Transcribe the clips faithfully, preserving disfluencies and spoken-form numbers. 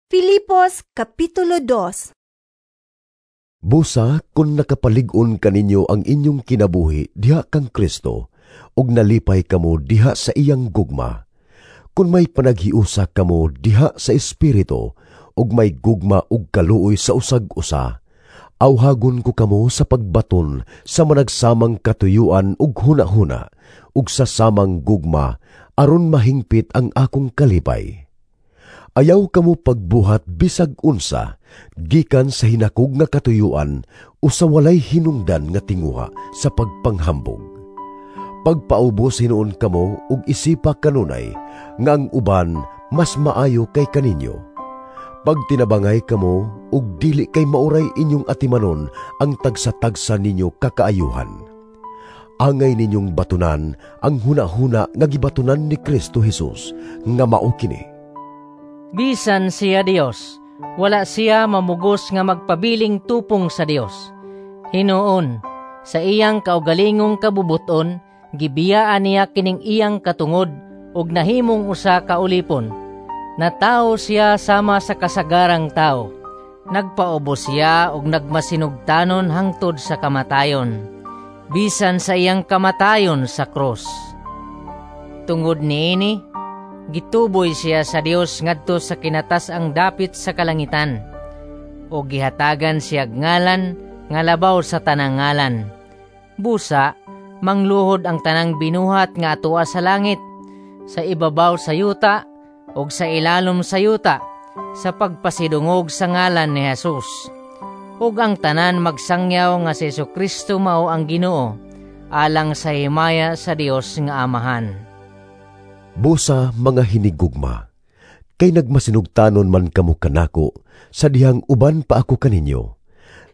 Filipos Kapitulo dos. Busa kung nakapalig-on kaninyo ang inyong kinabuhi diha kang Kristo, ug nalipay kamo diha sa iyang gugma. Kung may panaghiusa kamo diha sa Espiritu, ug may gugma ug kaluoy sa usag-usa, awhagon ko kamo sa pagbaton sa managsamang katuyuan ug hunahuna, ug sa samang gugma, aron mahingpit ang akong kalipay. Ayaw kamo pagbuhat bisag unsa, gikan sa hinakog nga katuyuan o sa walay hinungdan nga tinguha sa pagpanghambog. Pagpaubos hinuon kamo ug isipa kanunay nga ang uban mas maayo kay kaninyo. Pagtinabangay kamo ug dili kay mauray inyong atimanon ang tagsa-tagsa ninyo kakaayuhan. Angay ninyong batunan ang hunahuna nga gibatunan ni Kristo Jesus nga mao kini. Bisan siya Dios, wala siya mamugos nga magpabiling tupong sa Dios. Hinuon, sa iyang kaugalingong kabubuton, gibiyaan niya kining iyang katungod ug nahimong usa ka ulipon. Natawo siya sama sa kasagarang tao. Nagpaubos siya ug nagmasinugtanon hangtod sa kamatayon, bisan sa iyang kamatayon sa krus. Tungod niini, gituboy siya sa Dios ngadto sa kinatas-ang dapit sa kalangitan, o gihatagan siya ngalan nga labaw sa tanang ngalan. Busa, mangluhod ang tanang binuhat nga atoa sa langit, sa ibabaw sa yuta, ug sa ilalom sa yuta, sa pagpasidungog sa ngalan ni Jesus. Ug ang tanan magsangyaw nga si Hesukristo mao ang Ginoo, alang sa himaya sa Dios nga Amahan. Busa mga hinigugma, kay nagmasinugtanon man kamo kanako sa dihang uban pa ako kaninyo.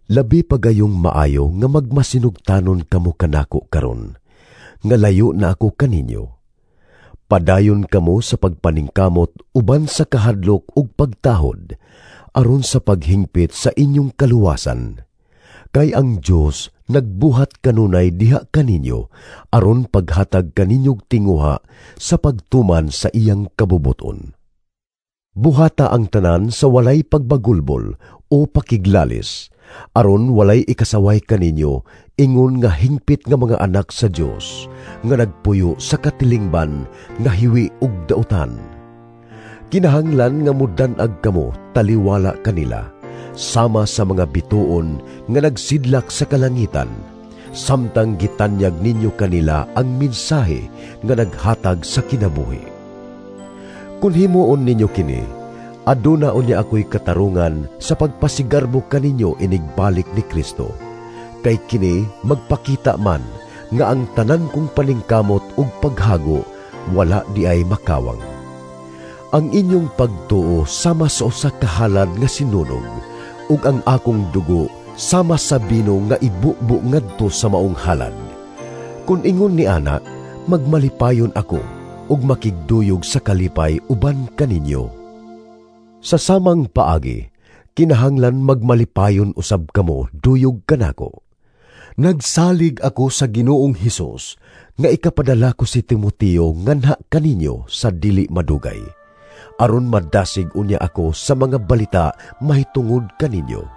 Labi pa gayong maayo nga magmasinugtanon kamo kanako karon, nga layo na ako kaninyo. Padayon kamo sa pagpaningkamot uban sa kahadlok ug pagtahod, aron sa paghingpit sa inyong kaluwasan. Kay ang Dios nagbuhat kanunay diha kaninyo aron paghatag kaninyog tinguha sa pagtuman sa iyang kabubuton. Buhata ang tanan sa walay pagbagulbol o pakiglalis, aron walay ikasaway kaninyo ingon nga hingpit nga mga anak sa Dios nga nagpuyo sa katilingban nga hiwi ug dautan. Kinahanglan nga mudan-ag kamo taliwala kanila, sama sa mga bituon nga nagsidlak sa kalangitan, samtang gitanyag ninyo kanila ang mensahe nga naghatag sa kinabuhi. Kung himuon ninyo kini, aduna unya ako'y katarungan sa pagpasigarbo kaninyo inigbalik ni Kristo. Kay kini magpakita man nga ang tanan kong paningkamot ug paghago wala di ay makawang. Ang inyong pagtuo sama sa usa ka halad nga sinunog, ug ang akong dugo sama sa bino nga ibubo ngadto sa maong halad. Kun ingon ni ana, magmalipayon ako ug makigduyog sa kalipay uban kaninyo. Sa samang paagi, kinahanglan magmalipayon usab kamo duyog kanako. Nagsalig ako sa Ginoong Hesus nga ikapadala ko si Timoteo nganha kaninyo sa dili madugay, aron madasig unya ako sa mga balita mahitungod kaninyo.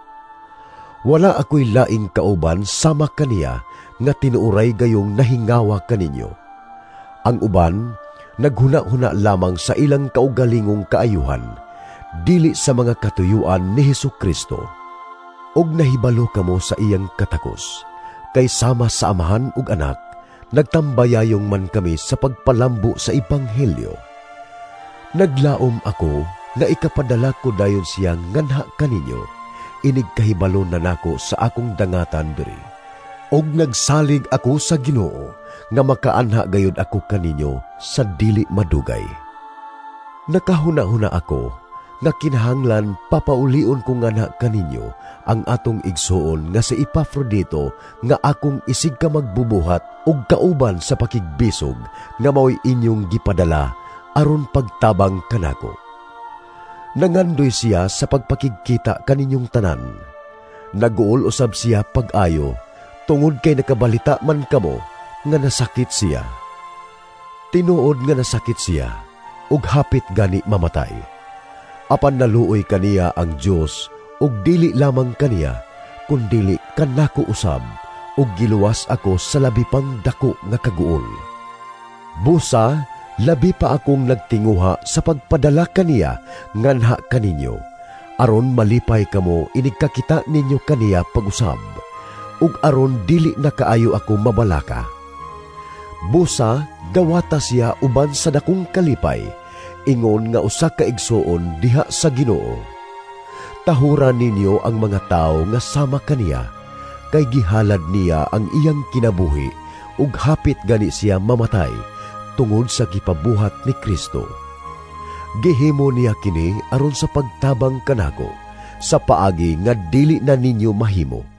Wala ako'y laing kauban sama kaniya nga tinuoray gayong nahingawa kaninyo. Ang uban, naghuna-huna lamang sa ilang kaugalingong kaayuhan, dili sa mga katuyuan ni Hesukristo. Og nahibalo kamo sa iyang katakos, kay sama sa amahan ug anak, nagtambayayong man kami sa pagpalambo sa Ebanghelyo. Naglaom ako nga ikapadala ko dayon siya nganha kaninyo, inig kahibalo na nako sa akong dangatan diri. Og nagsalig ako sa Ginoo nga makaanha gayud ako kaninyo sa dili madugay. Nakahuna-huna ako nga kinahanglan papaulion ko nganha kaninyo ang atong igsuon nga si Epafrodito nga akong isig ka magbubuhat og kauban sa pakigbisog nga mao'y inyong gipadala aron pagtabang kanako. Nangandoy siya sa pagpakigkita kaninyong tanan. Naguol usab siya pag-ayo tungod kay nakabalita man kamo nga nasakit siya. Tinuod nga nasakit siya ug hapit gani mamatay. Apan naluoy kaniya ang Dios ug dili lamang kaniya, kundili kanako usab, ug giluwas ako sa labi pang dako nga kaguol. Busa, labi pa akong nagtinguha sa pagpadala kaniya nganha kaninyo, aron malipay kamo inig kakita ninyo kaniya pag-usab, ug aron dili na kaayo ako mabalaka. Busa, dawata siya uban sa dakong kalipay, ingon nga usa ka igsuon diha sa Ginoo. Tahura ninyo ang mga tawo nga sama kaniya, kay gihalad niya ang iyang kinabuhi ug hapit gani siya mamatay tungod sa gipabuhat ni Kristo. Gihimo niya kini aron sa pagtabang kanako sa paagi nga dili na ninyo mahimo.